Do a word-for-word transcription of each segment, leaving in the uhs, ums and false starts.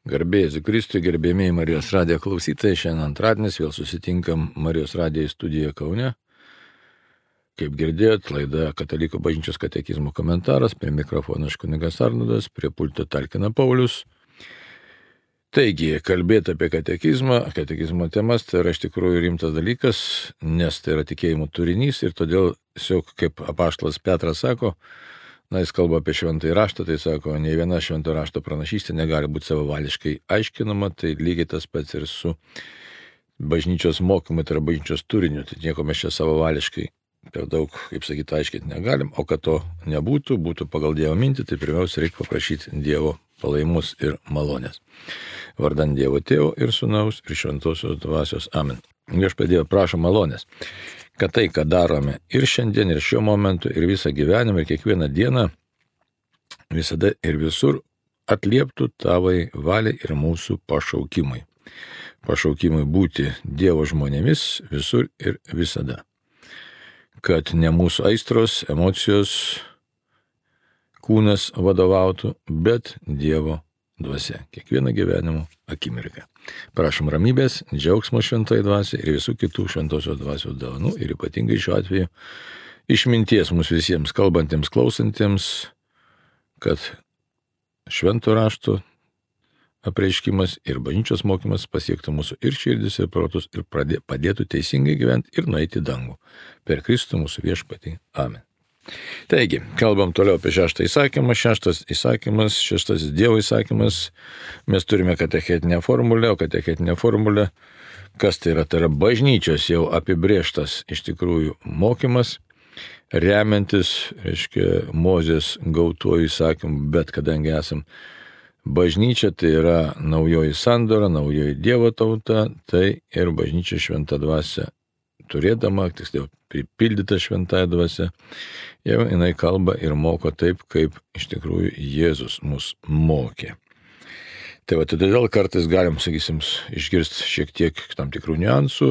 Garbėjai Kristui, gerbėmiai Marijos radijo klausytojai, šiandien antradienis vėl susitinkam Marijos radijo studijoje Kaune. Kaip girdėjot, laida Katalikų bažnyčios katekizmo komentaras, prie mikrofono aš kunigas Arnoldas, prie pulto talkina Paulius. Taigi, kalbėti apie katekizmą, katekizmo temas, tai yra iš tikrųjų rimtas dalykas, nes tai yra tikėjimo turinys ir todėl, tiesiog kaip apaštalas Petras sako, na, jis kalba apie šventąjį raštą, tai sako, nei viena šventojo rašto pranašystė negali būti savavališkai aiškinama, tai lygiai tas pats ir su bažnyčios mokymu, tai yra bažnyčios turiniu, tai nieko mes čia savavališkai per daug, kaip sakyti, aiškinti negalim, o kad to nebūtų, būtų pagal Dievo mintį, tai pirmiausia reikia paprašyti Dievo palaimus ir malonės. Vardan Dievo Tėvo ir Sūnaus ir Šventosios Dvasios. Amen. Viešpatie Dieve, prašom malonės, kad tai, ką darome ir šiandien, ir šiuo momentu, ir visą gyvenimą, ir kiekvieną dieną, visada ir visur atlieptų tavai valiai ir mūsų pašaukimui. Pašaukimui būti Dievo žmonėmis visur ir visada. Kad ne mūsų aistros, emocijos, kūnas vadovautų, bet Dievo dvasia. Kiekvieną gyvenimo akimirką. Prašom ramybės, džiaugsmo šventai dvasiai ir visų kitų šventosios dvasios dovanų ir ypatingai šiuo atveju išminties mums visiems kalbantiems, klausantiems, kad švento rašto apreiškimas ir bažnyčios mokymas pasiektų mūsų ir širdis, ir protus ir pradė, padėtų teisingai gyventi ir nueiti į dangų. Per Kristų mūsų viešpatį. Amen. Taigi, kalbam toliau apie šeštą įsakymą. Šeštas įsakymas, šeštasis Dievo įsakymas. Mes turime katechetinę formulę, o katechetinė formulė, kas tai yra, tai yra bažnyčios jau apibrėžtas iš tikrųjų mokymas, remiantis, reiškia, Mozės gautuoju įsakymu, bet kadangi esam bažnyčia, tai yra naujoji sandora, naujoji Dievo tauta, tai ir bažnyčia šventą dvasią turėdama, tiksliau pripildyta šventąją dvasią, jau jinai kalba ir moko taip, kaip iš tikrųjų Jėzus mus mokė. Tai va, todėl kartais galim, sakysim, išgirsti šiek tiek tam tikrų niuansų,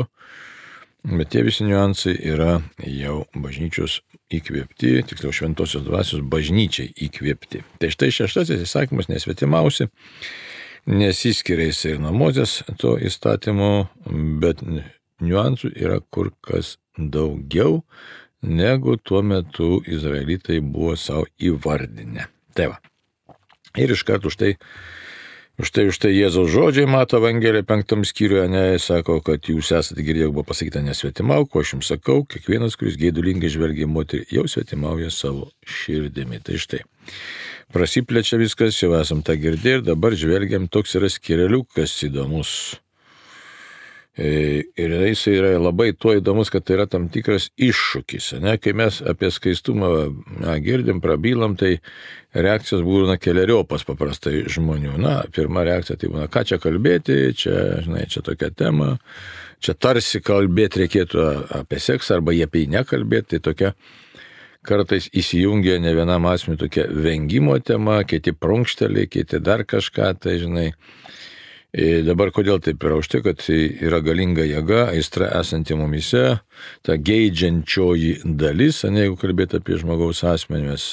bet tie visi niuansai yra jau bažnyčios įkvėpti, tiksliau šventosios dvasios bažnyčiai įkvėpti. Tai štai šeštasis įsakymas nesvetimausi, nesiskiria jis ir nuo Mozės to įstatymo, bet niuansų yra kur kas daugiau, negu tuo metu izraelitai buvo savo įvardinę. Tai va. Ir iš karto už tai, už tai, už tai Jėzaus žodžiai Mato Evangelijoje penktam skyriuje, ne, sako, kad jūs esate girdėję, buvo pasakyta nesvetimauk, ko aš jums sakau, kiekvienas, kuris geidulingai žvelgia į moterį, jau svetimauja savo širdimi. Tai štai. Prasiplečia viskas, jau esam tą girdėję ir dabar žvelgiam, toks yra skireliukas įdomus. Ir jis yra labai tuo įdomus, kad tai yra tam tikras iššūkis. Ne? Kai mes apie skaistumą na, girdim, prabylam, tai reakcijos būna keleriopas paprastai žmonių. Na, pirma reakcija tai būna, ką čia kalbėti, čia, žinai, čia tokia tema, čia tarsi kalbėti reikėtų apie seksą arba jie apie jį nekalbėti, tai tokia kartais įsijungia ne vienam asmeniui tokia vengimo tema, kiti prunkšteliai, kiti dar kažką, tai žinai. Ir dabar kodėl taip yra? Už tai, kad yra galinga jėga, aistra esanti mumise, ta geidžiančioji dalis, ne, jeigu kalbėti apie žmogaus asmenį, mes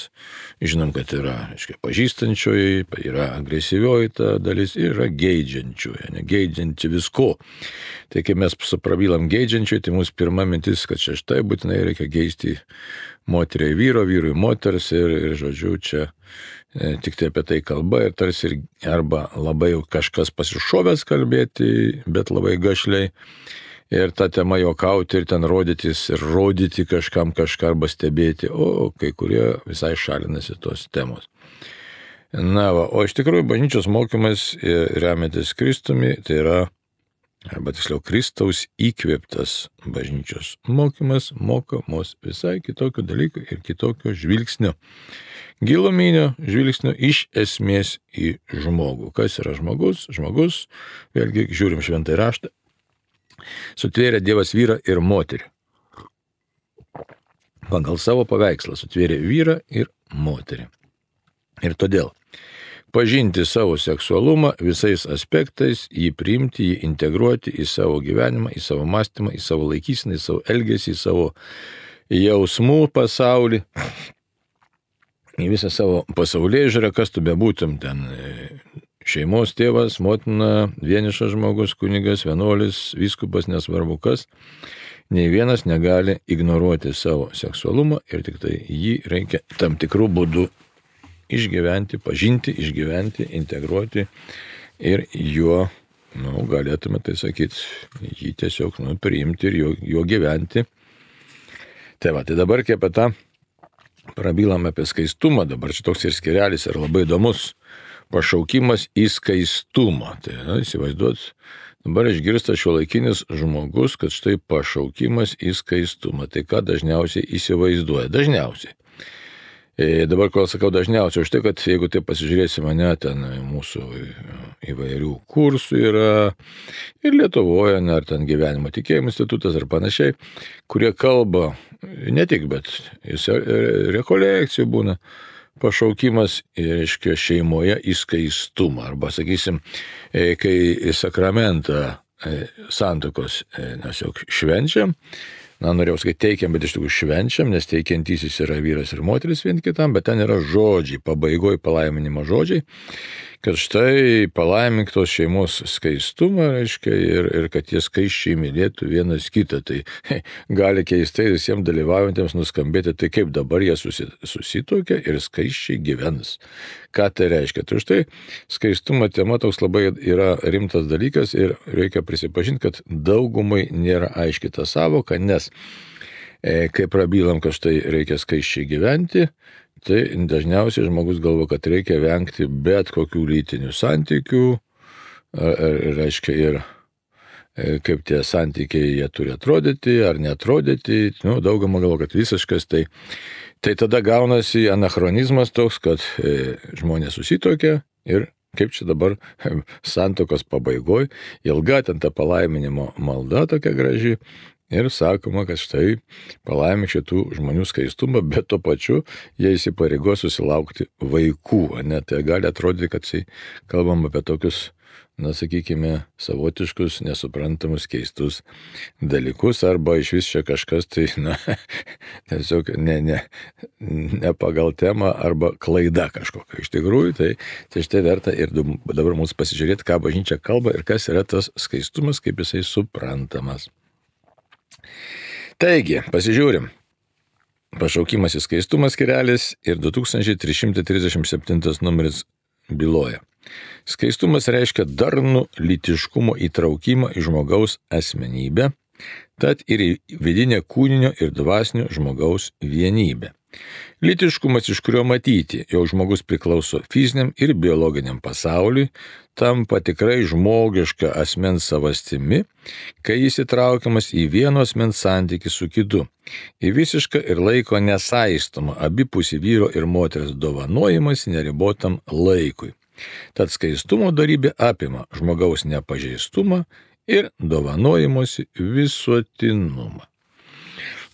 žinom, kad yra, aiškiai, pažįstančioji, yra agresyvioji ta dalis ir yra geidžiančioji, ne, geidžianti visko. Tai kai mes suprabylam geidžiančioji, tai mūsų pirma mintis, kad čia štai būtinai reikia geisti moteriai vyro, vyrui moters ir, ir žodžiu, čia tik tai apie tai kalba ir tarsi ir arba labai jau kažkas pasišovęs kalbėti, bet labai gašliai ir tą temą juokauti ir ten rodytis ir rodyti kažkam kažką arba stebėti, o kai kurie visai šalinasi tos temos. Na va, o iš tikrųjų bažnyčios mokymas remiantis Kristumi, tai yra, arba tiksliau Kristaus įkvėptas bažnyčios mokymas, moko mus visai kitokių dalykų ir kitokio žvilgsnio. Giluminio žvilgsnio iš esmės į žmogų. Kas yra žmogus? Žmogus, vėlgi žiūrim šventąjį raštą, sutvėrė Dievas vyrą ir moterį. Pagal savo paveikslą sutvėrė vyrą ir moterį. Ir todėl pažinti savo seksualumą visais aspektais, jį priimti, jį integruoti į savo gyvenimą, į savo mąstymą, į savo laikyseną, į savo elgesį, į savo jausmų pasaulį, į visą savo pasaulėžiūrą, kas tu bebūtum ten šeimos tėvas, motina, vienišas žmogus, kunigas, vienuolis, vyskupas, nesvarbu kas, nei vienas negali ignoruoti savo seksualumą ir tik tai jį reikia tam tikrų būdų išgyventi, pažinti, išgyventi, integruoti ir juo, nu, galėtume tai sakyti, jį tiesiog, nu, priimti ir juo, juo gyventi. Tai va, tai dabar, kai apie tą prabilame apie skaistumą, dabar šitoks ir skirelis yra labai įdomus, pašaukimas į skaistumą. Tai, na, įsivaizduot, dabar išgirsta šiuolaikinis žmogus, kad štai pašaukimas į skaistumą. Tai ką dažniausiai įsivaizduoja? Dažniausiai. E, dabar, kol sakau dažniausiai, už tai, kad jeigu tai pasižiūrėsi mane, ten mūsų įvairių kursų yra ir Lietuvoje, ne, ar ten gyvenimo tikėjimo institutas ar panašiai, kurie kalba, ne tik, bet rekolekcijų būna, pašaukimas, reiškia, šeimoje į skaistumą. Arba, sakysim, kai sakramentą santuokos mes jau švenčiam, na, norėjau sakyti teikiam, bet iš tikrųjų švenčiam, nes teikiantysis yra vyras ir moteris vien kitam, bet ten yra žodžiai, pabaigoje palaiminimo žodžiai, kad štai palaimink tos šeimos skaistumą, reiškia, ir, ir kad jie skaisčiai mylėtų vienas kitą. Tai he, gali keistai visiems dalyvaujantiems nuskambėti, tai kaip dabar jie susi, susitokia ir skaisčiai gyvens. Ką tai reiškia? Tai štai skaistumo tema toks labai yra rimtas dalykas ir reikia prisipažinti, kad daugumai nėra aiški ta savoka, nes e, kai prabylam, kad štai reikia skaisčiai gyventi, tai dažniausiai žmogus galvo, kad reikia vengti bet kokių lytinių santykių, ar, ar, reiškia ir kaip tie santykiai jie turi atrodyti ar netrodyti, nu, daugama galvo, kad visiškas, tai, tai tada gaunasi anachronizmas toks, kad e, žmonės susitokia ir kaip čia dabar santuokos pabaigoj, ilga ten ta palaiminimo malda tokia graži, ir sakoma, kad štai palaimink šitų žmonių skaistumą, bet tuo pačiu jie įsipareigos susilaukti vaikų. Ne? Tai gali atrodyti, kad tai kalbam apie tokius, na, sakykime, savotiškus, nesuprantamus, keistus dalykus, arba iš vis čia kažkas, tai, na, tiesiog ne, ne, ne pagal temą, arba klaida kažkokia. Iš tikrųjų, tai, tai štai verta ir dabar mums pasižiūrėti, ką bažnyčia kalba ir kas yra tas skaistumas, kaip jisai suprantamas. Taigi, pasižiūrim. Pašaukimas į skaistumą skirelis ir du tūkstančiai trys šimtai trisdešimt septintas numeris byloja. Skaistumas reiškia darnų lytiškumo įtraukimą į žmogaus asmenybę, tad ir į vidinę kūninio ir dvasinio žmogaus vienybę. Lytiškumas, iš kurio matyti, jog žmogus priklauso fiziniam ir biologiniam pasauliui, tampa tikrai žmogiška asmens savastimi, kai jis įtraukiamas į vieno asmens santykį su kitu, į visišką ir laiko nesaistomą abipusį vyro ir moters dovanojimas neribotam laikui. Tad skaistumo dorybė apima žmogaus nepažeistumą ir dovanojimosi visuotinumą.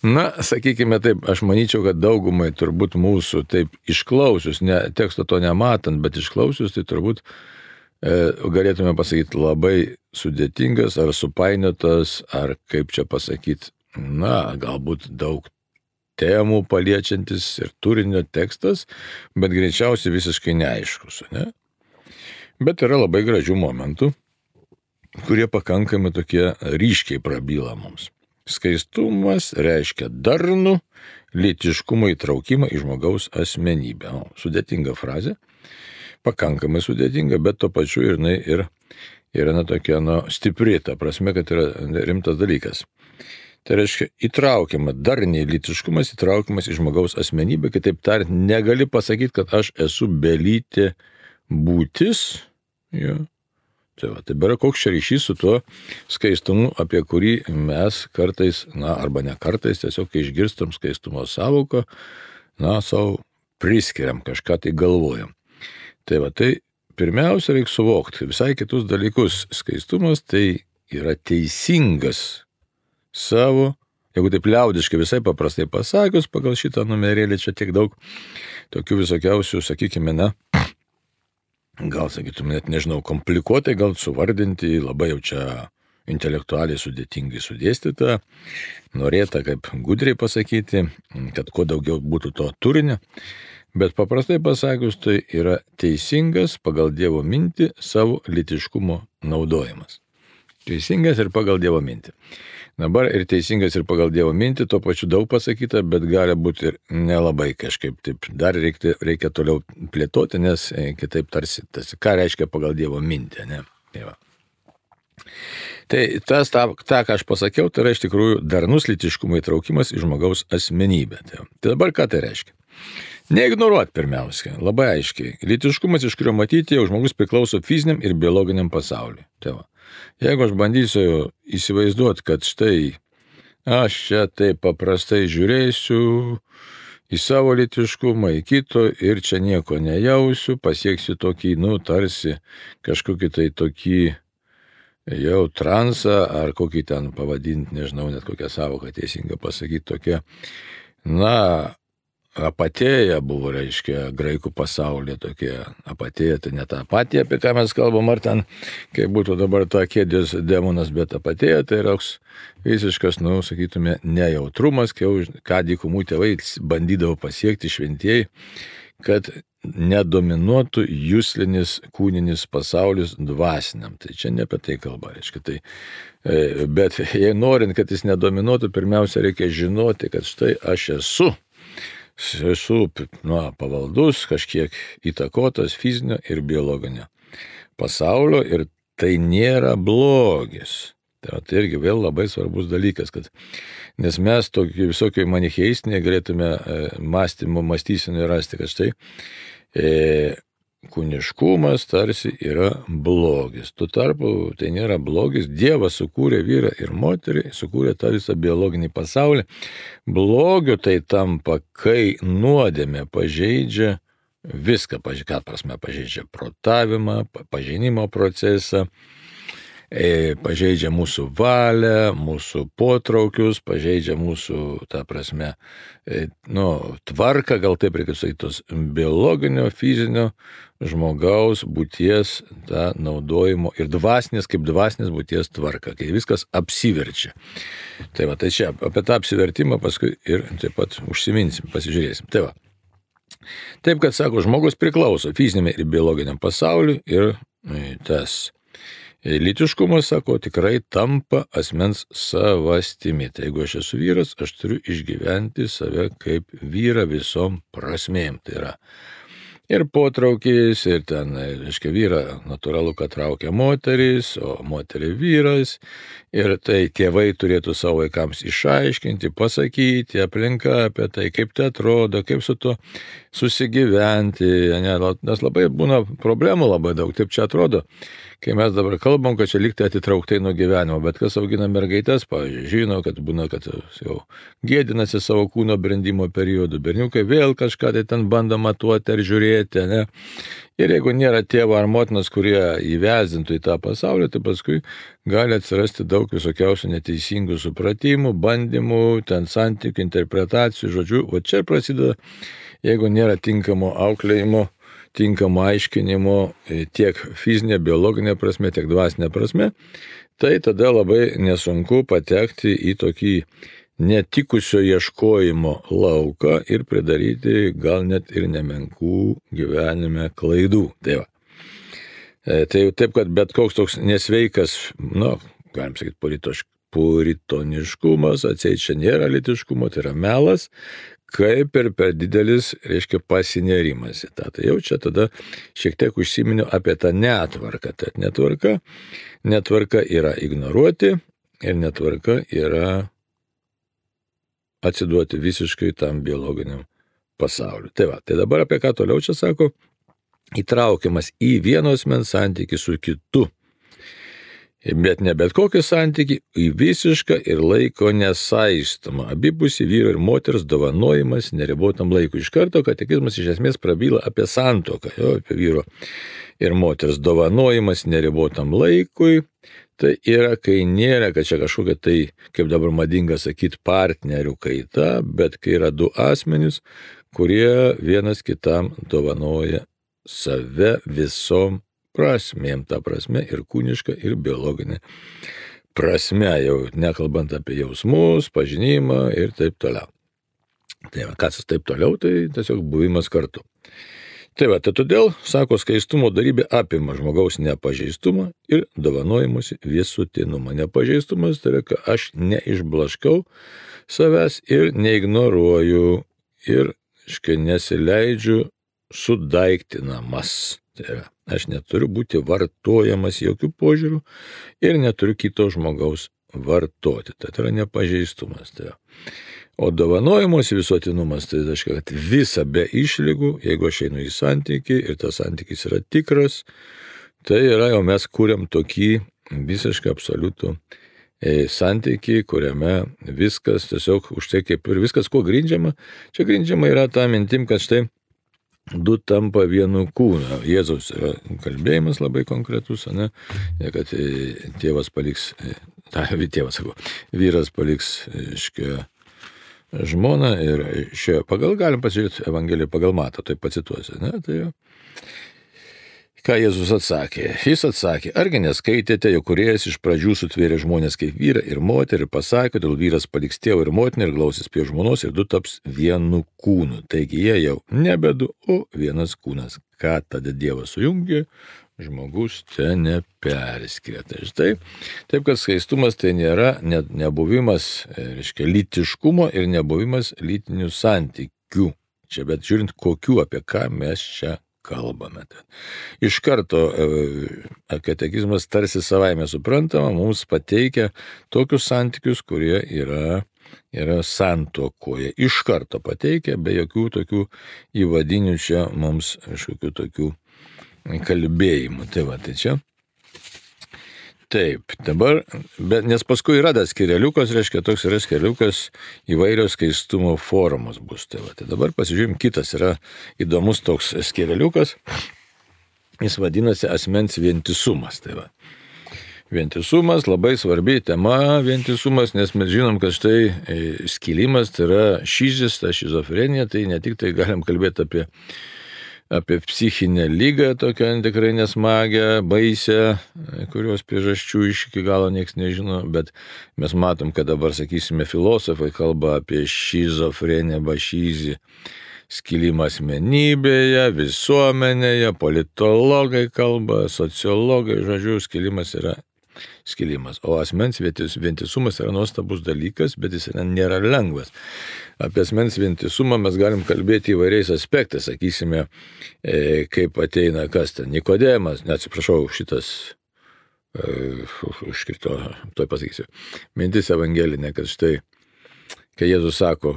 Na, sakykime taip, aš manyčiau, kad daugumai turbūt mūsų taip išklausius, ne, teksto to nematant, bet išklausius, tai turbūt e, galėtume pasakyti labai sudėtingas ar supainiotas, ar kaip čia pasakyti, na, galbūt daug temų paliečiantis ir turinio tekstas, bet greičiausiai visiškai neaiškus, ne? Bet yra labai gražių momentų, kurie pakankamai tokie ryškiai prabyla mums. Skaistumas reiškia darnų lytiškumo įtraukimą į žmogaus asmenybę. O, sudėtinga frazė, pakankamai sudėtinga, bet to pačiu ir jinai ir yra na, tokia nu, stipri, ta prasme, kad yra rimtas dalykas. Tai reiškia įtraukiama, darniai lytiškumas įtraukiamas į žmogaus asmenybę, kitaip tariant, negali pasakyti, kad aš esu belytė būtis. Jo. Tai va, tai yra koks čia ryšys su tuo skaistumu, apie kurį mes kartais, na, arba ne kartais, tiesiog kai išgirstam skaistumo savoką, na, savo priskiriam, kažką tai galvojam. Tai va, tai pirmiausia reikia suvokti visai kitus dalykus. Skaistumas tai yra teisingas savo, jeigu taip liaudiškai visai paprastai pasakius, pagal šitą numerėlį čia tiek daug tokių visokiausių, sakykime, na, gal sakytum, net nežinau, komplikuotai, gal suvardinti, labai jau čia intelektualiai sudėtingai sudėstyta, norėta kaip gudriai pasakyti, kad kuo daugiau būtų to turinio, Bet paprastai pasakius, tai yra teisingas pagal Dievo mintį savo lytiškumo naudojimas. Teisingas ir pagal Dievo mintį. Dabar ir teisingas ir pagal Dievo mintį, tuo pačiu daug pasakyta, bet gali būti ir nelabai kažkaip taip. Dar reikia, reikia toliau plėtoti, nes kitaip tarsi, tarsi ką reiškia pagal Dievo mintį, ne? Tai va. Tai tas, tą, tą, ką aš pasakiau, tai yra iš tikrųjų darnus lytiškumo įtraukimas į žmogaus asmenybę. Tai, tai dabar ką tai reiškia? Neignoruot pirmiausia, labai aiškiai. Lytiškumas, iš kurio matyti, jau žmogus priklauso fiziniam ir biologiniam pasauliui. Tai va. Jeigu aš bandysiu įsivaizduoti, kad štai aš čia taip paprastai žiūrėsiu į savo lytiškumą, į kito ir čia nieko nejausiu, pasieksiu tokį, nu, tarsi kažkokį tai tokį jau transą, ar kokį ten pavadinti, nežinau, net kokią savoką teisinga pasakyti, tokia, na, apatėja buvo, reiškia, graikų pasaulyje tokia apatėja, tai ne ta apatija, apie ką mes kalbam, ar ten, kaip būtų dabar ta kėdės demonas, bet apatėja, tai yra visiškas, nu, sakytume, nejautrumas, ką dykumų tėvai bandydavo pasiekti šventieji, kad nedominuotų juslinis kūninis pasaulis dvasiniam. Tai čia ne apie tai kalba, reiškia. Tai, bet jei norint, kad jis nedominuotų, pirmiausia reikia žinoti, kad štai aš esu. Esu nu, pavaldus, kažkiek įtakotas fizinio ir biologinio pasaulio ir tai nėra blogis. Tai, tai irgi vėl labai svarbus dalykas, kad, nes mes tokį visokiai manicheistinį galėtume mąstymo, mąstysinį rasti, kad štai e, kūniškumas tarsi yra blogis. Tuo tarpu tai nėra blogis. Dievas sukūrė vyrą ir moterį, sukūrė tą visą biologinį pasaulį. Blogio tai tampa, kai nuodėmė pažeidžia viską, ką prasme pažeidžia protavimą, pažinimo procesą, pažeidžia mūsų valią, mūsų potraukius, pažeidžia mūsų, ta prasme, nu, tvarką, gal taip reikia sakyti, tos biologinio, fizinio žmogaus būties tą naudojimo ir dvasinės, kaip dvasinės būties tvarka, kai viskas apsiverčia. Tai va, tai čia apie tą apsivertimą paskui ir taip pat užsiminsim, pasižiūrėsim. Tai va. Taip, kad sako, žmogus priklauso fiziniam ir biologiniam pasauliui ir tas lytiškumas, sako, tikrai tampa asmens savastimi. Tai jeigu aš esu vyras, aš turiu išgyventi save kaip vyrą visom prasmėm. Tai yra ir potraukis, ir ten, reiškia, vyrą natūralu, kad traukia moteris, o moterį vyras. Ir tai tėvai turėtų savo vaikams išaiškinti, pasakyti, aplinka apie tai, kaip tai atrodo, kaip su to susigyventi. Nes labai būna problemų labai daug, taip čia atrodo. Kai mes dabar kalbam, kad čia liktai atitrauktai nuo gyvenimo, bet kas augina mergaitės, pavyzdžiui, žino, kad būna, kad jau gėdinasi savo kūno brendimo periodu, berniukai vėl kažką tai ten bando matuoti ar žiūrėti, ne? Ir jeigu nėra tėvo ar motinos, kurie įvezintų į tą pasaulį, tai paskui gali atsirasti daug visokiausių neteisingų supratimų, bandymų, ten santykių, interpretacijų, žodžiu, o čia prasideda, jeigu nėra tinkamo auklėjimo, tinkamo aiškinimo tiek fizinė, biologinė prasme, tiek dvasinė prasme, tai tada labai nesunku patekti į tokį netikusio ieškojimo lauką ir pridaryti gal net ir nemenkų gyvenime klaidų. Tai va. Tai taip, kad bet koks toks nesveikas, nu, galim sakyti, puritoniškumas, atseit čia nėra lytiškumo, tai yra melas, kaip ir per didelis, reiškia, pasinerimas į tą. Tai jau čia tada šiek tiek užsiminiu apie tą netvarką. Tad netvarka, netvarka yra ignoruoti ir netvarka yra atsiduoti visiškai tam biologiniam pasauliu. Tai va, tai dabar apie ką toliau čia sako, įtraukiamas į vieno asmens santykį su kitu. Bet ne bet kokį santykį, į visišką ir laiko nesaistomą. Abipusį vyro ir moters dovanojimas neribotam laikui. Iš karto katekizmas iš esmės prabyla apie santuoką, jo, apie vyro ir moters dovanojimas neribotam laikui. Tai yra, kai nėra, kad čia kažkokia tai, kaip dabar madinga sakyti, partnerių kaita, bet kai yra du asmenys, kurie vienas kitam dovanoja save visom prasmėm, ta prasme ir kūniška, ir biologinė prasme, jau nekalbant apie jausmus, pažinimą ir taip toliau. Tai va, kas taip toliau, tai tiesiog buvimas kartu. Tai va, tai todėl, sako, skaistumo darybė apima žmogaus nepažeistumą ir dovanojimusi visuotinumą. Nepažeistumas tai yra, kad aš neišblaškau savęs ir neignoruoju ir, aiškiai, nesileidžiu sudaiktinamas. Tai yra, aš neturiu būti vartojamas jokių požiūrių ir neturiu kito žmogaus vartoti. Tai yra nepažeistumas. Tai yra. O dovanojimos visuotinumas, tai reiškia, kad visa be išlygų, jeigu aš einu į santykį ir tas santykis yra tikras, tai yra jau mes kūrėm tokį visiškai absoliutų santykį, kuriame viskas tiesiog už tai kaip ir viskas, kuo grindžiama. Čia grindžiama yra ta mintim, kad štai du tampa vienu kūnu. Jėzaus yra kalbėjimas labai konkretus, ne? Kad tėvas paliks, ta, tėvas sako, vyras paliks, iškia, žmona ir šio pagal, galim pasižiūrėti Evangeliją pagal Matą, tai pacituosiu, ne? Tai jau. Ką Jėzus atsakė? Jis atsakė, argi neskaitėte, jog kūrėjas iš pradžių sutvėrė žmonės kaip vyrą ir moterį ir pasakė, todėl vyras paliks tėvą ir motiną ir glausis prie žmonos ir du taps vienu kūnu. Taigi jie jau nebe du, o vienas kūnas. Ką tada Dievas sujungė, žmogus čia neperskiria. Tai štai, taip kad skaistumas tai nėra ne, nebuvimas, reiškia, lytiškumo ir nebuvimas lytinių santykių. Čia, bet žiūrint, kokių, apie ką mes čia kalbame. Iš karto katekizmas tarsi savaime suprantama, mums pateikia tokius santykius, kurie yra, yra santuokoje. Iš karto pateikia, be jokių tokių įvadinių čia mums kažkokių tokių kalbėjimų. Tai va, tai čia. Taip, dabar, bet, nes paskui yra tas skireliukas, reiškia, toks yra skireliukas, įvairios skaistumo formos bus. Tai va, tai dabar pasižiūrėjom, kitas yra įdomus toks skireliukas, jis vadinasi asmens vientisumas. Tai va. Vientisumas, labai svarbi tema vientisumas, nes mes žinom, kad štai skilimas tai yra šizis, ta šizofrenija, tai ne tik tai galim kalbėti apie apie psichinę lygą, tokią tikrai nesmagę, baisę, kurios priežasčių iš iki galo nieks nežino, bet mes matom, kad dabar, sakysime, filosofai kalba apie šizofreniją arba šizį, skilimą asmenybėje, visuomenėje, politologai kalba, sociologai, žodžiu, skilimas yra skilimas. O asmens vientisumas yra nuostabus dalykas, bet jis yra, nėra lengvas. Apie asmens vientisumą mes galim kalbėti įvairiais aspektais, sakysime, e, kaip ateina kas ten, Nikodemas, neatsiprašau, šitas, e, užkrito, toj pasakysiu, mintis evangelinė, kad štai, kai Jėzus sako,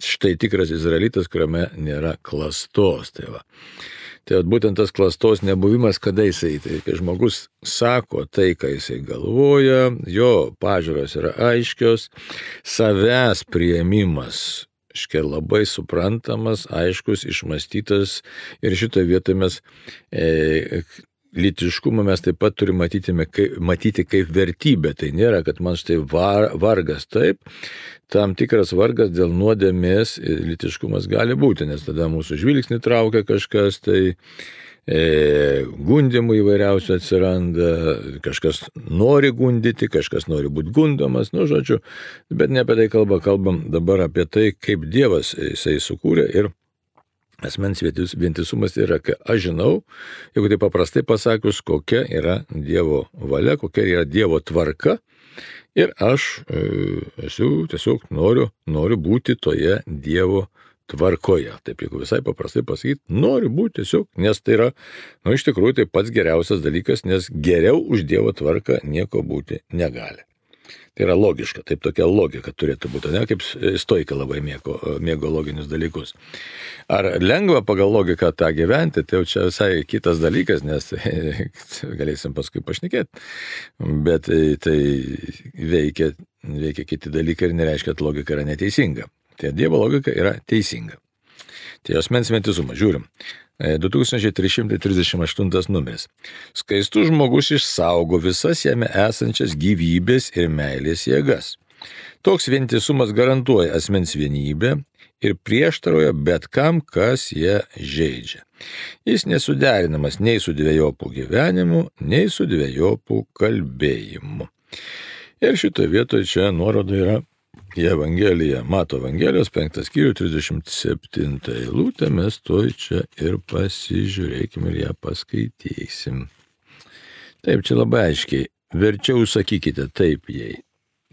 štai tikras izraelitas, kuriame nėra klastos, tai va. Tai būtent tas klastos nebuvimas, kada jisai, tai kai žmogus sako tai, ką jisai galvoja, jo pažiūros yra aiškios, savęs priėmimas, škia labai suprantamas, aiškus, išmąstytas ir šitoje vietoje mes e, lytiškumą mes taip pat turime matyti, matyti kaip vertybę. Tai nėra, kad man štai var, vargas taip, tam tikras vargas dėl nuodėmės lytiškumas gali būti, nes tada mūsų žvilgsnį traukia kažkas, tai e, gundimų įvairiausių atsiranda, kažkas nori gundyti, kažkas nori būti gundomas, nu žodžiu, bet ne apie tai kalba, kalbam dabar apie tai, kaip Dievas jisai sukūrė ir asmens vientisumas yra, kai aš žinau, jeigu tai paprastai pasakius, kokia yra Dievo valia, kokia yra Dievo tvarka, ir aš e, esu tiesiog noriu, noriu būti toje Dievo tvarkoje. Taip, jeigu visai paprastai pasakyti, noriu būti tiesiog, nes tai yra, nu, iš tikrųjų, tai pats geriausias dalykas, nes geriau už Dievo tvarką nieko būti negali. Tai yra logiška, taip tokia logika turėtų būti, ne kaip stoika labai mėgo, mėgo loginius dalykus. Ar lengva pagal logiką tą gyventi, tai jau čia visai kitas dalykas, nes galėsim paskui pašnekėti, bet tai veikia, veikia kiti dalykai ir nereiškia, kad logika yra neteisinga. Tai Dievo logika yra teisinga. Tai asmens vientisumas, žiūrim. du tūkstančiai trys šimtai trisdešimt aštuntas numeris. Skaistus žmogus išsaugo visas jame esančias gyvybės ir meilės jėgas. Toks vientisumas garantuoja asmens vienybę ir prieštarauja bet kam, kas ją žeidžia. Jis nesuderinamas nei su dvejopų gyvenimu, nei su dvejopų kalbėjimu. Ir šitoje vietoje čia nuoroda yra į Evangeliją, Mato Evangelijos penktas skyrius, trisdešimt septinta eilutė, mes toj čia ir pasižiūrėkime ir ją paskaitysim. Taip, čia labai aiškiai, verčiau sakykite taip, jei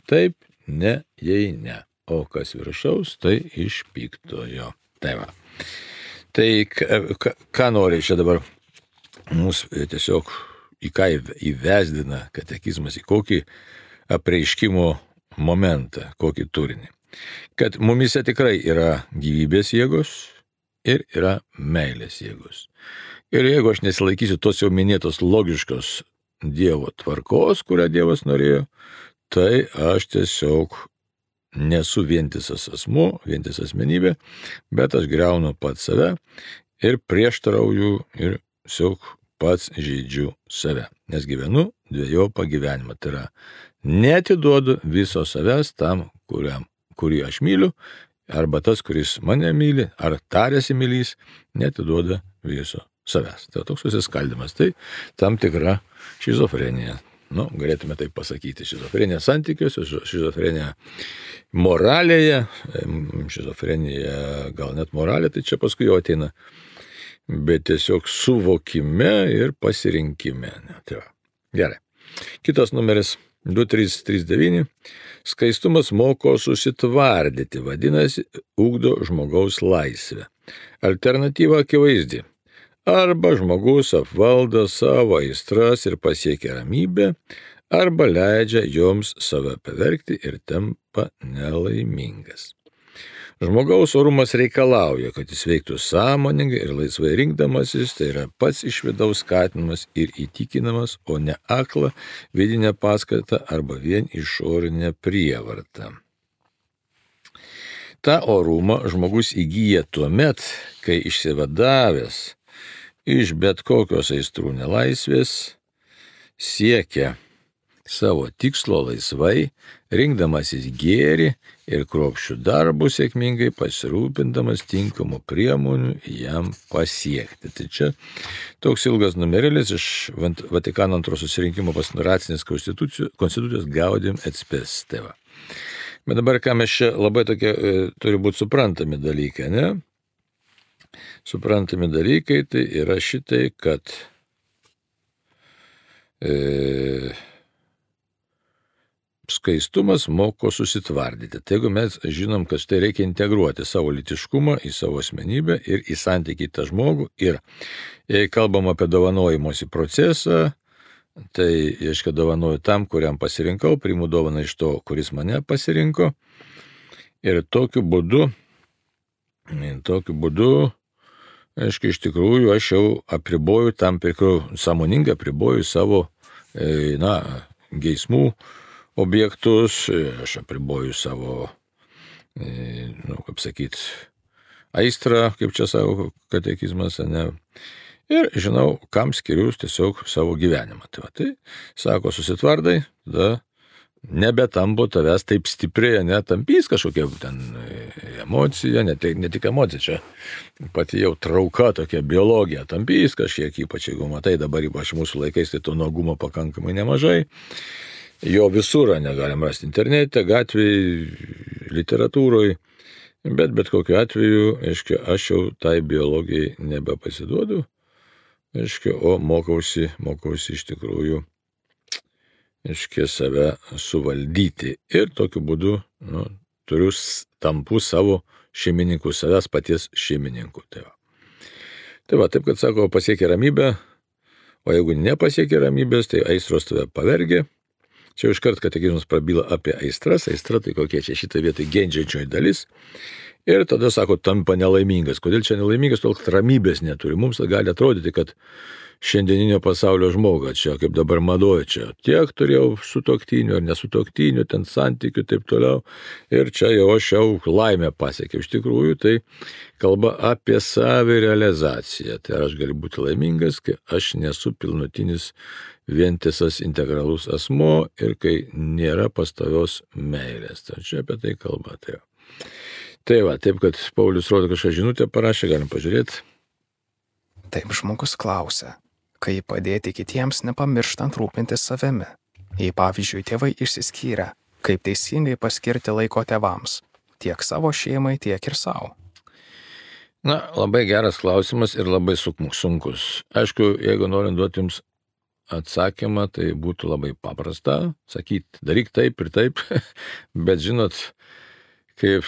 taip, ne, jei ne, o kas viršaus, tai iš piktojo. Tai va. Tai ką, ką nori čia dabar mūsų tiesiog į ką įvesdina katekizmas, į kokį apreiškimo momentą, kokį turinį. Kad mumise tikrai yra gyvybės jėgos ir yra meilės jėgos. Ir jeigu aš nesilaikysiu tos jau minėtos logiškos Dievo tvarkos, kurią Dievas norėjo, tai aš tiesiog nesu vientisas asmuo, vientisas asmenybė, bet aš griaunu pats save ir prieštarauju ir tiesiog pats žaidžiu save, nes gyvenu dviejopą gyvenimą. Tai yra, neatiduodu viso savęs tam, kuriam, kurį aš myliu, arba tas, kuris mane myli, ar tarėsi mylys, neatiduoda viso savęs. Tai toks susiskaldimas, tai tam tikra šizofrenija. Nu, galėtume taip pasakyti, šizofrenija santykiuose, šizofrenija moralėje, šizofrenija gal net moralė, tai čia paskui jau ateina, bet tiesiog suvokime ir pasirinkime. Tai va. Gerai. Kitas numeris du trys trys devyni. Skaistumas moko susitvardyti, vadinasi, ugdo žmogaus laisvę. Alternatyva akivaizdi. Arba žmogus apvaldo savo aistras ir pasiekia ramybę, arba leidžia joms save pavergti ir tampa nelaimingas. Žmogaus orumas reikalauja, kad jis veiktų sąmoningai ir laisvai rinkdamasis, tai yra pats iš vidaus skatinamas ir įtikinamas, o ne akla vidinė paskata arba vien išorinė prievarta. Ta orumą žmogus įgyja tuomet, kai išsivadavęs iš bet kokios aistrų nelaisvės siekia savo tikslo laisvai, rinkdamasis gėrį ir kruopščių darbų sėkmingai pasirūpindamas tinkamų priemonių jam pasiekti. Tai čia toks ilgas numerėlis iš Vatikano antro susirinkimo pastoracinės konstitucijos, konstitucijos Gaudium et Spes. Tai va. Bet dabar ką mes čia labai tokie e, turi būti suprantami dalykai, ne? Suprantami dalykai tai yra šitai, kad e, skaistumas moko susitvardyti. Tai jeigu mes žinom, kad štai reikia integruoti savo lytiškumą į savo asmenybę ir į santykį tą žmogų, ir jei kalbam apie dovanojimosi procesą, tai reiškia dovanoju tam, kuriam pasirinkau, priimu dovaną iš to, kuris mane pasirinko, ir tokiu būdu, tokiu būdu, aiškiai, iš tikrųjų, aš jau apriboju tam tikrų, sąmoningai apriboju savo, na, geismų objektus, aš apriboju savo, nu, kaip sakyt, aistrą, kaip čia savo katekizmas, ne, ir žinau, kam skiriu tiesiog savo gyvenimą. Tai, va, tai sako, susitvardai, tada nebetampo tavęs taip stipriai, netampys kažkokia ten emocija, ne, ne tik emocija, čia pati jau trauka tokia biologija, tampys kažkiek, ypač jeigu matai dabar, ypač mūsų laikais, tai to nuogumo pakankamai nemažai. Jo visur negalim rasti internete, gatvėje, literatūroje, bet bet kokiu atveju, aiškia, aš jau tai biologijai nebepasiduodu, aiškia, o mokausi, mokausi iš tikrųjų, aiškia, save suvaldyti. Ir tokiu būdu, nu, turiu tampu savo šeimininku, savęs paties šeimininku. Tai va. Tai va, taip, kad sako, pasiekia ramybę, o jeigu nepasiekia ramybės, tai aistros tave pavergia. Čia jau iškart katekizmas prabyla apie aistras, aistra tai kokie čia šitą vietą gendžiančioji dalis. Ir tada sako, tampa nelaimingas. Kodėl čia nelaimingas, tol kad ramybės neturi. Mums gali atrodyti, kad šiandieninio pasaulio žmoga, čia kaip dabar madoja, čia tiek turėjau sutuoktinių ar nesutuoktinių, ten santykių, taip toliau. Ir čia jau aš jau laimę pasiekiau. Iš tikrųjų, tai kalba apie savirealizaciją. Tai aš galiu būti laimingas, kai aš nesu pilnutinis vientisas integralus asmuo ir kai nėra pastovios meilės. Tai čia apie tai kalba. Tai, tai va, taip, kad Paulius rodo kažką žinutę parašė, galim pažiūrėti. Taip žmogus klausia, kaip padėti kitiems nepamirštant rūpintis savimi. Jei pavyzdžiui tėvai išsiskyrę, Kaip teisingai paskirti laiko tėvams, tiek savo šeimai, tiek ir savo? Na, labai geras klausimas ir labai sunkus. Aišku, jeigu norint duoti jums atsakymą, tai būtų labai paprasta sakyti, daryk taip ir taip, bet žinot, kaip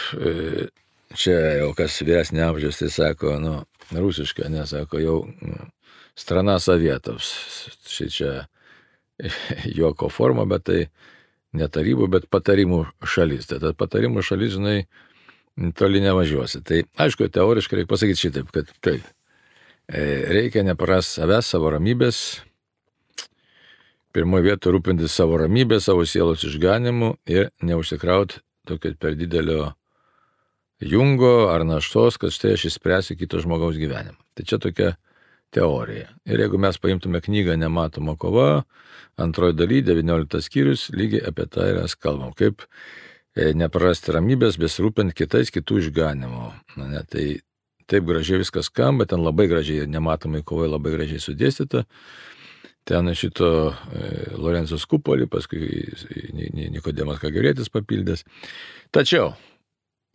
čia jau kas vyresnė amžius, tai sako, nu, rusiškai, nesako, jau strana Sovietams. Štai čia juoko forma, bet tai ne tarybų, bet patarimų šalis. Tai ta patarimų šalis, žinai, toli nevažiuosi. Tai aišku, teoriškai reikia pasakyti šitaip, kad taip, reikia neprarast savęs, savo ramybės, pirmoje vietoje rūpintis savo ramybę, savo sielos išganimu ir neužsikrauti tokio per didelio jungo ar naštos, kad štai aš išspręsiu kito žmogaus gyvenimą. Tai čia tokia teorija. Ir jeigu mes paimtume knygą Nematoma kova, antroji daly, devynioliktas skyrius, lygiai apie tai mes kalbam, kaip neprarasti ramybės, besirūpint kitais, kitų išganimo. Na, ne, tai taip gražiai viskas skamba, ten labai gražiai, Nematomai kovai labai gražiai sudėstyta. Ten šito e, Lorenzo Skupolį, paskui Nikodemas Kagirėtis papildęs. Tačiau,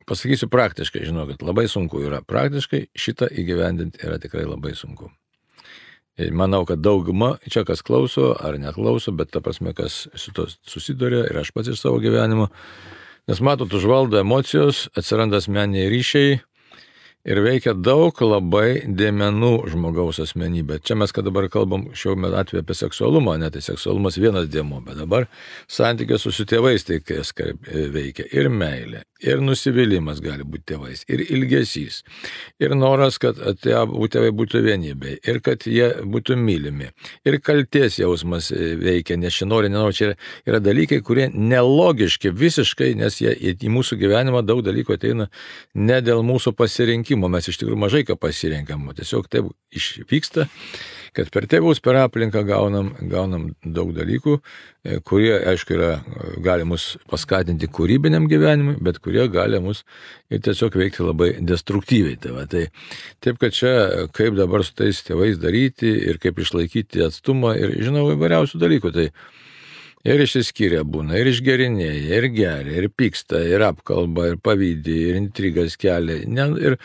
pasakysiu praktiškai, žinau, kad labai sunku yra. Praktiškai šitą įgyvendinti yra tikrai labai sunku. Ir manau, kad dauguma, čia kas klauso ar neklauso, bet ta prasme, kas su to susiduria ir aš pats iš savo gyvenimo, nes matot, užvaldo emocijos, atsiranda asmeniniai ryšiai ir veikia daug labai dėmenų žmogaus asmenybė. Čia mes, kad dabar kalbam šiuo metu atveju apie seksualumą, ne, tai seksualumas vienas dėmuo, bet dabar santykės su tėvais tai veikia ir meilė, ir nusivylimas gali būti tėvais, ir ilgesys, ir noras, kad tėvai būtų vienybė, ir kad jie būtų mylimi, ir kaltės jausmas veikia, nes čia nori, nenori, čia yra, yra dalykai, kurie nelogiški visiškai, nes jie į mūsų gyvenimą daug dalykų ateina ne dėl mūsų pasirinkimo. Mes iš tikrųjų mažai ką pasirenkam, tiesiog taip išvyksta, kad per tėvus, per aplinką gaunam, gaunam daug dalykų, kurie, aišku, yra, gali mus paskatinti kūrybiniam gyvenimui, bet kurie gali mus ir tiesiog veikti labai destruktyviai. Tai va, tai, taip, kad čia kaip dabar su tais tėvais daryti ir kaip išlaikyti atstumą ir, žinau, įvairiausių dalykų. Tai ir išsiskyrę būna, ir išgerinėja, ir geria, ir pyksta, ir apkalba, ir pavydį, ir intrigas kelia. Ne, ir,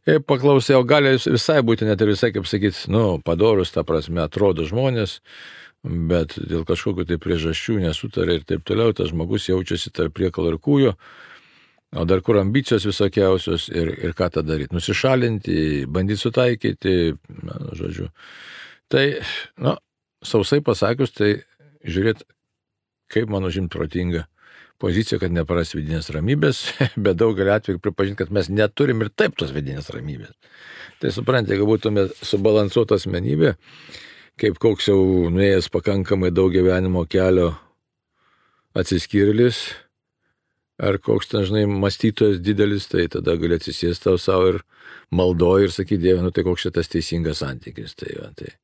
ir paklausė, o gali visai būti net ir visai, kaip sakyti, nu, padorus, ta prasme, atrodo žmonės, bet dėl kažkokių tai priežasčių nesutarė ir taip toliau, tas žmogus jaučiasi tarp priekalo ir kūjo, o dar kur ambicijos visokiausios ir, ir ką tą daryti. Nusišalinti, bandyti sutaikyti, na, žodžiu. Tai, nu, sausai pasakius, tai žiūrėt, kaip mano žimt protinga pozicija, kad nepraras vidinės ramybės, bet daugelį atveju pripažinti, kad mes neturim ir taip tos vidinės ramybės. Tai suprantate, jeigu būtume subalansuota asmenybė, kaip koks jau nuėjęs pakankamai daug gyvenimo kelio atsiskyrėlis, ar koks ten, žinai, mąstytojas didelis, tai tada gali atsisėsti tau savo ir maldoji ir sakyti, Dieve, nu tai koks šitas teisingas santykis. Tai, va, tai.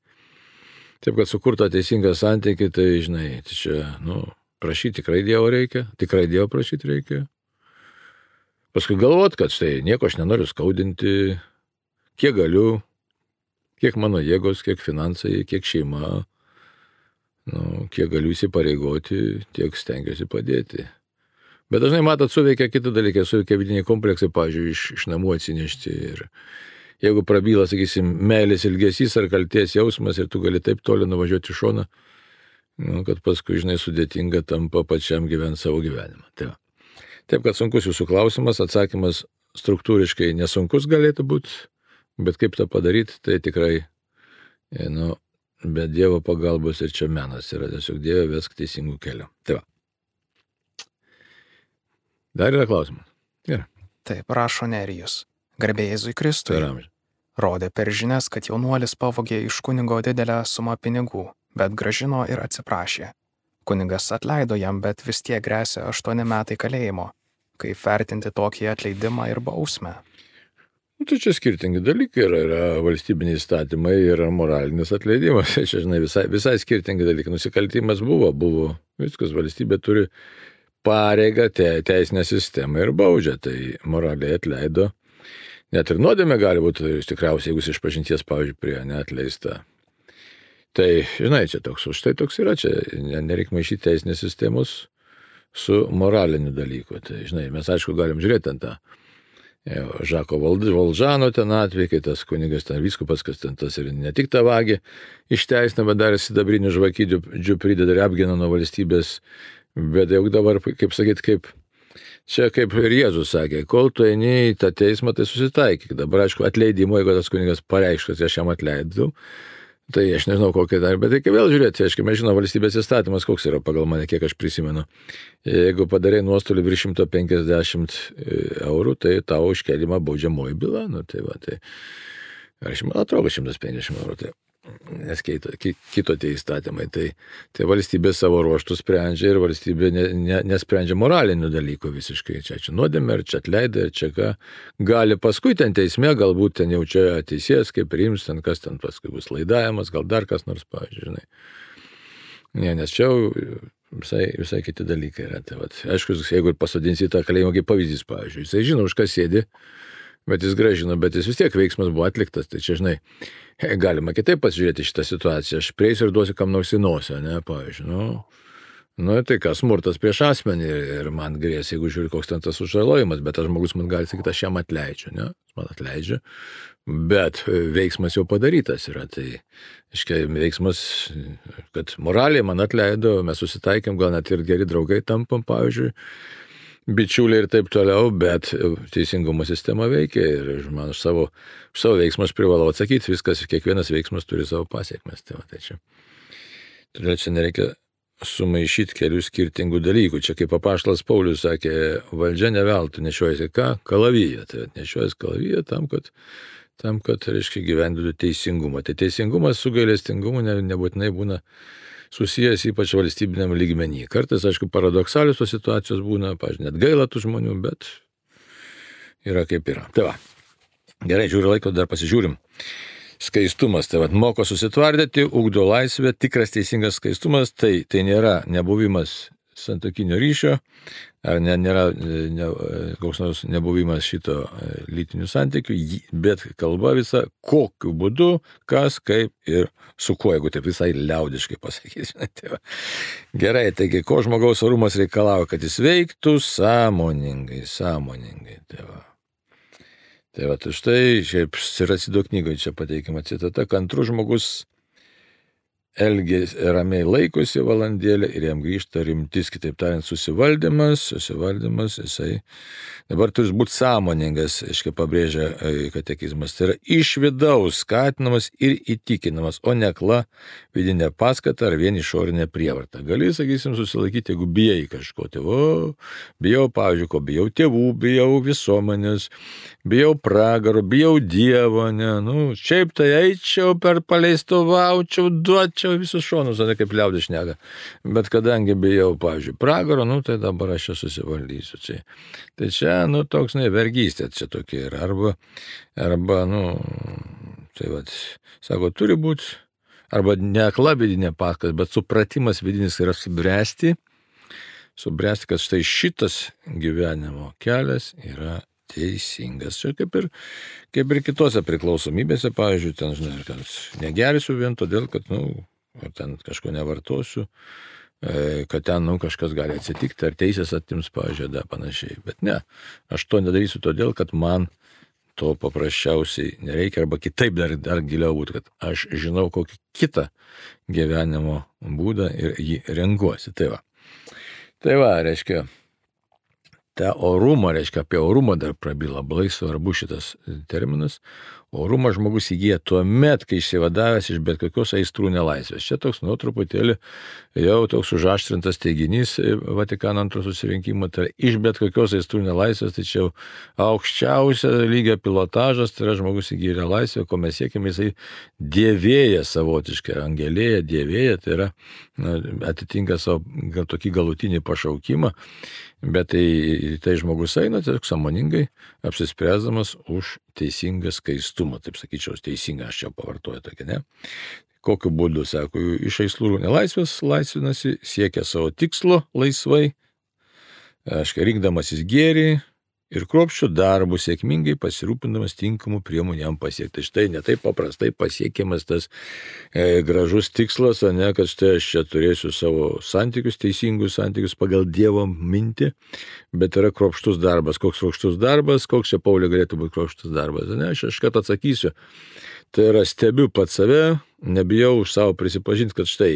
Taip, kad sukurta teisinga santykį, tai, žinai, tai čia, nu, prašyti tikrai Dievo reikia, tikrai Dievo prašyti reikia. Paskui galvot, kad štai nieko aš nenoriu skaudinti, kiek galiu, kiek mano jėgos, kiek finansai, kiek šeima, nu, kiek galiu įsipareigoti, tiek stengiuosi padėti. Bet dažnai, matot, suveikia kiti dalykai, suveikia vidiniai kompleksai, pavyzdžiui, iš, iš namų atsinešti ir jeigu prabyla, sakysim, meilės ilgesys ar kaltės jausmas ir tu gali taip toli nuvažiuoti į šoną, nu, kad paskui, žinai, sudėtinga tampa pačiam gyventi savo gyvenimą. Tai va. Taip, kad sunkus jūsų klausimas, atsakymas struktūriškai nesunkus galėtų būti, bet kaip tą padaryti, tai tikrai, nu, be Dievo pagalbos ir čia menas yra tiesiog Dieve vesk teisingų kelių. Tai va. Dar yra klausimas. Gerai. Taip, rašo Nerijus. Garbė Jėzui Kristui. Rodė per žinias, kad jaunuolis pavogė iš kunigo didelę sumą pinigų, bet grąžino ir atsiprašė. Kunigas atleido jam, bet vis tiek gresia aštuoni metai kalėjimo. Kaip vertinti tokį atleidimą ir bausmę? Nu, tai čia skirtingi dalykai yra, yra valstybiniai įstatymai ir moralinis atleidimas. Čia, žinai, visai, visai skirtingi dalykai. Nusikaltimas buvo, buvo. Viskas, valstybė turi pareigą te, teisinę sistemą ir baudžia. Tai moraliai atleido. Net ir nuodėmė gali būti, tikriausiai, jeigu iš pažinties, pavyzdžiui, prie neatleista. Tai, žinai, čia toks, už tai toks yra, čia nereik maišyti teisinės sistemos su moraliniu dalyku. Tai, žinai, mes aišku galim žiūrėti ant tą Žako Valžano ten atvejį, kai tas kunigas ten vyskupas, kas ten tas ir ne tik tą vagį išteisina, bet dar sidabrinių žvakydžių prideda ir apgina nuo valstybės. Bet jau dabar, kaip sakyt, kaip čia kaip ir Jėzus sakė, kol tu eini į tą teismą, tai susitaikyk. Dabar, aišku, atleidimo, jeigu tas kunigas pareiškia, kad aš jam atleidau, tai aš nežinau kokia dar, bet reikia vėl žiūrėti, aišku, mes žinome valstybės įstatymas, koks yra pagal mane, kiek aš prisimenu. Jeigu padarai nuostolį virš šimto penkiasdešimt eurų, tai tavo iškelimą baudžiamoji byla, nu tai va, tai aš man atrodo šimtas penkiasdešimt eurų, tai nes kito, kito tie įstatymai, tai, tai valstybė savo ruoštų sprendžia ir valstybė ne, ne, nesprendžia moralinių dalykų visiškai. Čia, čia nuodėmė, ir čia atleidai, ir čia ką. Gali paskui ten teisme, galbūt ten jau čia teisėjas, kaip priims, ten kas ten paskui bus laidavimas, gal dar kas nors, pavyzdžiui, žinai. Ne, nes čia jau visai, visai kiti dalykai yra. Tai, vat, aišku, jeigu ir pasodinsi tą kalėjimą kaip pavyzdys, pavyzdžiui, jisai žino, už ką sėdi, bet jis gražino, bet jis vis tiek veiksmas buvo atliktas, tai čia, žinai, galima kitaip pasižiūrėti šitą situaciją. Aš prieisiu ir duosiu kam nors į nosį, ne, pavyzdžiui, nu, nu, tai kas, smurtas prieš asmenį ir man grės, jeigu žiūri, koks ten tas sužalojimas, bet tas žmogus man gali sakyti, aš jam atleidžiu, ne, man atleidžiu, bet veiksmas jau padarytas yra, tai, iškai, veiksmas, kad moraliai man atleido, mes susitaikėm, gal net ir geri draugai tampam, pavyzdžiui, bičiuliai ir taip toliau, bet teisingumo sistema veikia ir man už savo, už savo veiksmus privalau atsakyti, viskas, kiekvienas veiksmas turi savo pasiekmes. Tai, va, tai čia. Todėl čia nereikia sumaišyti kelių skirtingų dalykų. Čia kaip apaštalas Paulius sakė, valdžia ne veltui nešiojasi ką? Kalaviją. Tai nešiojasi kalaviją tam, kad, tam, kad reiškia, gyventų teisingumą. Tai teisingumas su gailestingumu ne, nebūtinai būna susijęs ypač valstybiniam lygmenį. Kartais, aišku, paradoksalios tos situacijos būna, pažiūrėjau, net gaila tų žmonių, bet yra kaip yra. Tai va, gerai, žiūriu laiko, dar pasižiūrim. Skaistumas, tai va, moko susitvardyti, ugdo laisvę, tikras teisingas skaistumas, tai, tai nėra nebuvimas santuokinio ryšio, ar ne, nėra ne, koks nors nebuvimas šito lytinių santykių, bet kalba visa, kokiu būdu, kas, kaip ir su kuo, jeigu taip visai liaudiškai pasakyti. Tai va. Gerai, taigi, ko žmogaus orumas reikalauja, kad jis veiktų sąmoningai, sąmoningai. Tai va. Tai va, tai štai, šiaip Siracido knygoje čia pateikima citata, kantrus žmogus elgės ramiai laikosi valandėlę ir jam grįžta rimtis, kitaip tariant, susivaldymas, susivaldymas, jisai dabar turi būti sąmoningas, aiškiai pabrėžia katekizmas, tai yra iš vidaus skatinamas ir įtikinamas, o ne akla vidinė paskata ar vien išorinė prievarta. Gali, sakysim, susilaikyti, jeigu bijai kažko, tai o, bijau, pavyzdžiui, ko bijau tėvų, bijau visuomenės, bijau pragaro, bijau Dievo, ne, nu, šiaip tai eičiau per paleistuvaučiau, duočiau visus šonus, o ne kaip liaudis šneka. Bet kadangi bijau, pavyzdžiui, pragaro, nu, tai dabar aš čia susivaldysiu. Tai, tai čia, nu, toks, ne, vergystė čia tokia yra. Arba, arba, nu, tai vad, sako, turi būti, arba ne akla vidinė paskata, bet supratimas vidinis yra subręsti, subręsti, kad štai šitas gyvenimo kelias yra teisingas. Čia kaip ir, kaip ir kitose priklausomybėse, pavyzdžiui, ten, žinai, kad negersiu vien todėl, kad, nu, ar ten kažko nevartosiu, kad ten, nu, kažkas gali atsitikti, ar teisės atims, pavyzdžiui, da, panašiai. Bet ne, aš to nedarysiu todėl, kad man to paprasčiausiai nereikia, arba kitaip dar, dar giliau būtų, kad aš žinau kokį kitą gyvenimo būdą ir jį renkuosi. Tai va, tai va, reiškia, tą orumą, reiškia, apie orumą dar prabyla, labai svarbu šitas terminas. Orumą žmogus įgyja tuo met, kai išsivadavęs iš bet kokios aistrų nelaisvės. Čia toks, nu, truputėlį jau toks užaštrintas teiginys Vatikano antro susirinkimo, tai iš bet kokios aistrų nelaisvės, tai čia jau aukščiausia lygio pilotažas, tai yra žmogus įgyja laisvę, ko mes siekime, jisai dievėja savotiškai, angelėja, dievėja, tai yra, na, atitinka savo gal, tokį galutinį pašaukimą. Bet tai, tai žmogus eina tiesiog sąmoningai apsispręsdamas už teisingą skaistumą, taip sakyčiau, teisingą, aš čia pavartoju tokį, ne? Kokiu būdu, sako, iš aistrų nelaisvės laisvinasi, siekia savo tikslo laisvai, aiškiai, rinkdamasis gėrį, ir kruopščiu darbu, sėkmingai pasirūpindamas tinkamų priemonių jam pasiekti. Štai ne taip paprastai pasiekiamas tas e, gražus tikslas, o ne, kad štai aš čia turėsiu savo santykius, teisingus santykius pagal Dievo mintį, bet yra kruopštus darbas. Koks kruopštus darbas, koks čia Pauliui galėtų būti kruopštus darbas? Ne, aš iškart atsakysiu. Tai yra stebiu pat save, nebijau už savo prisipažinti, kad štai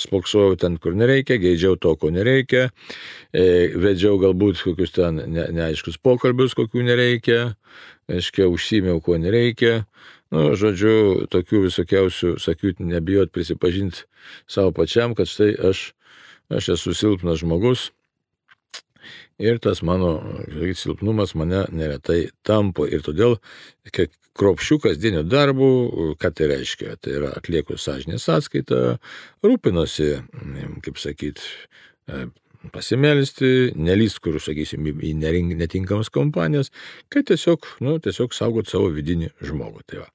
spoksojau ten, kur nereikia, geidžiau to, ko nereikia, e, vedžiau galbūt kokius ten ne, neaiškus pokalbius, kokių nereikia, aiškiai, užsimiau, ko nereikia. Nu, žodžiu, tokių visokiausių, sakiau, nebijot prisipažinti savo pačiam, kad štai aš, aš esu silpnas žmogus ir tas mano silpnumas mane neretai tampo. Ir todėl, kiek kruopščių kasdienio darbų, ką tai reiškia? Tai yra atlieku sąžinės sąskaitą, rūpinosi, kaip sakyt, pasimelsti, nelįst, kur, sakysim, į netinkamas kompanijas, kad tiesiog, nu, tiesiog saugot savo vidinį žmogų. Tai va.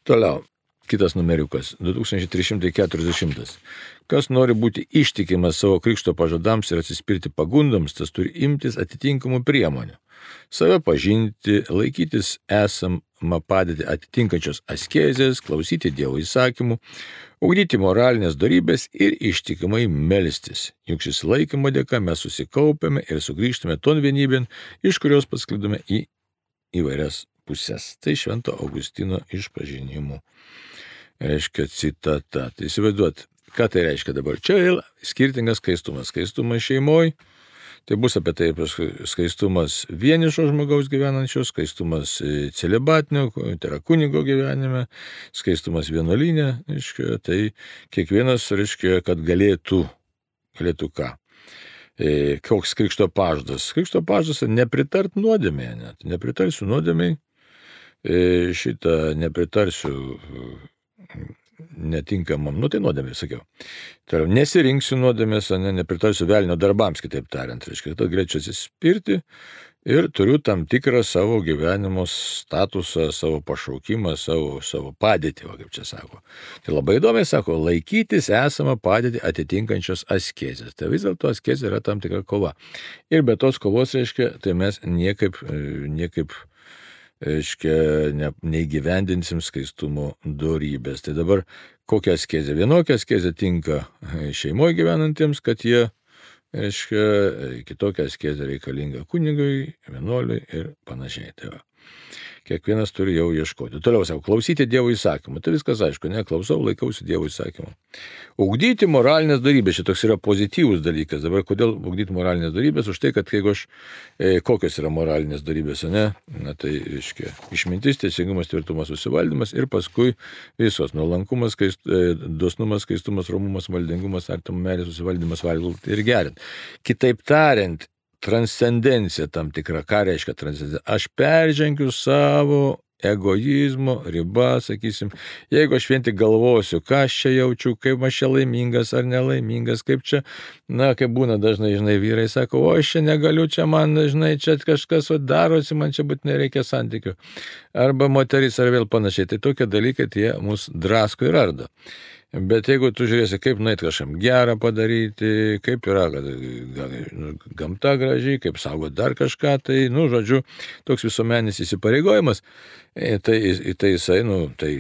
Toliau, kitas numeriukas, du tūkstančiai trys šimtai keturiasdešimtas. Kas nori būti ištikimas savo krikšto pažadams ir atsispirti pagundoms, tas turi imtis atitinkamų priemonių. Save pažinti, laikytis esamą padėtį atitinkančios askezės, klausyti Dievo įsakymų, ugdyti moralinės dorybės ir ištikimai melstis. Juk šis laikymo dėka mes susikaupiame ir sugrįžtame ton vienybėn, iš kurios pasklidome į įvairias pusės. Tai Švento Augustino išpažinimų. Reiškia citata. Tai įsivaizduot, ką tai reiškia dabar. Čia vėl skirtingas skaistumas. Skaistumas šeimoje. Tai bus apie tai skaistumas vienišo žmogaus gyvenančio, skaistumas celibatinio, tai yra kunigo gyvenime, skaistumas vienuolyne, reiškia, tai kiekvienas, reiškia, kad galėtų, galėtų ką. E, koks krikšto pažadas? Krikšto pažadas nepritart nuodėmėje, net nepritarsiu nuodėmėje, e, šitą nepritarsiu netinkamam, nu tai nuodėmė, sakiau. Tai yra, nesirinksiu nuodėmės, ne, nepritarsiu velnio darbams, kitaip tariant. Reiškia, kad galėčiau atsispirti ir turiu tam tikrą savo gyvenimo statusą, savo pašaukimą, savo, savo padėtį, va, kaip čia sako. Tai labai įdomiai sako, laikytis esamą padėtį atitinkančios askezės. Tai vis dėlto askezė yra tam tikra kova. Ir be tos kovos, reiškia, tai mes niekaip, niekaip reiškia, ne, neįgyvendinsim skaistumo dorybės. Tai dabar kokia askezė? Vienokia askezė tinka šeimoje gyvenantiems, kad jie, reiškia, kitokia askezė reikalinga kunigui, vienuoliui ir panašiai. Tai va. Kiekvienas turi jau ieškoti. Toliau sako, klausyti Dievo įsakymų. Tai viskas aišku, ne, klausau, laikausi Dievo įsakymų. Ugdyti moralinės darybės, šitoks yra pozityvus dalykas. Dabar kodėl ugdyti moralinės darybės? Už tai, kad jeigu aš, e, kokios yra moralinės darybės, ne? Na tai, reiškia, išmintis, teisingumas, tvirtumas, susivaldymas ir paskui visos nuolankumas, skaist, e, dosnumas, skaistumas, romumas, maldingumas, artimo meilė, susivaldymas, valgyti ir gerint. Kitaip tariant, transcendencija tam tikra. Ką reiškia transcendencija? Aš peržengiu savo egoizmo ribą, sakysim, jeigu aš vien tik galvosiu, ką aš čia jaučiu, kaip aš čia laimingas ar nelaimingas, kaip čia, na, kaip būna dažnai, žinai, vyrai sako, o aš čia negaliu, čia man, žinai, čia kažkas darosi, man čia būtinai reikia santykių. Arba moteris ar vėl panašiai. Tai tokie dalykai, tie mus drasko ir ardo. Bet jeigu tu žiūrėsi, kaip nueit kažkam gerą padaryti, kaip yra gamta gražiai, kaip saugot dar kažką, tai, nu, žodžiu, toks visuomenis įsipareigojimas, tai, tai jisai, nu, tai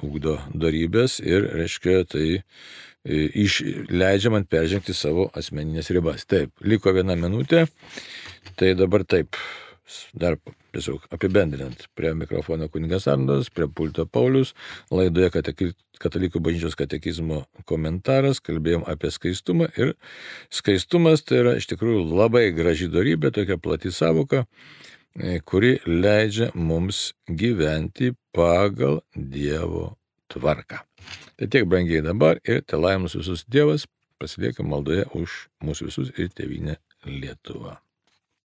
ugdo dorybės ir, reiškia, tai iš, leidžia man peržengti savo asmeninės ribas. Taip, liko viena minutė, tai dabar taip. Dar tiesiog apibendrinant, prie mikrofono kunigas Arnoldas, prie pulto Paulius, laidoje Katalikų bažnyčios katekizmo komentaras, kalbėjom apie skaistumą ir skaistumas tai yra iš tikrųjų labai graži dorybė, tokia plati savoka, kuri leidžia mums gyventi pagal Dievo tvarką. Tai tiek brangiai dabar ir te laiminus visus Dievas, pasiliekam maldoje už mūsų visus ir tėvynę Lietuvą.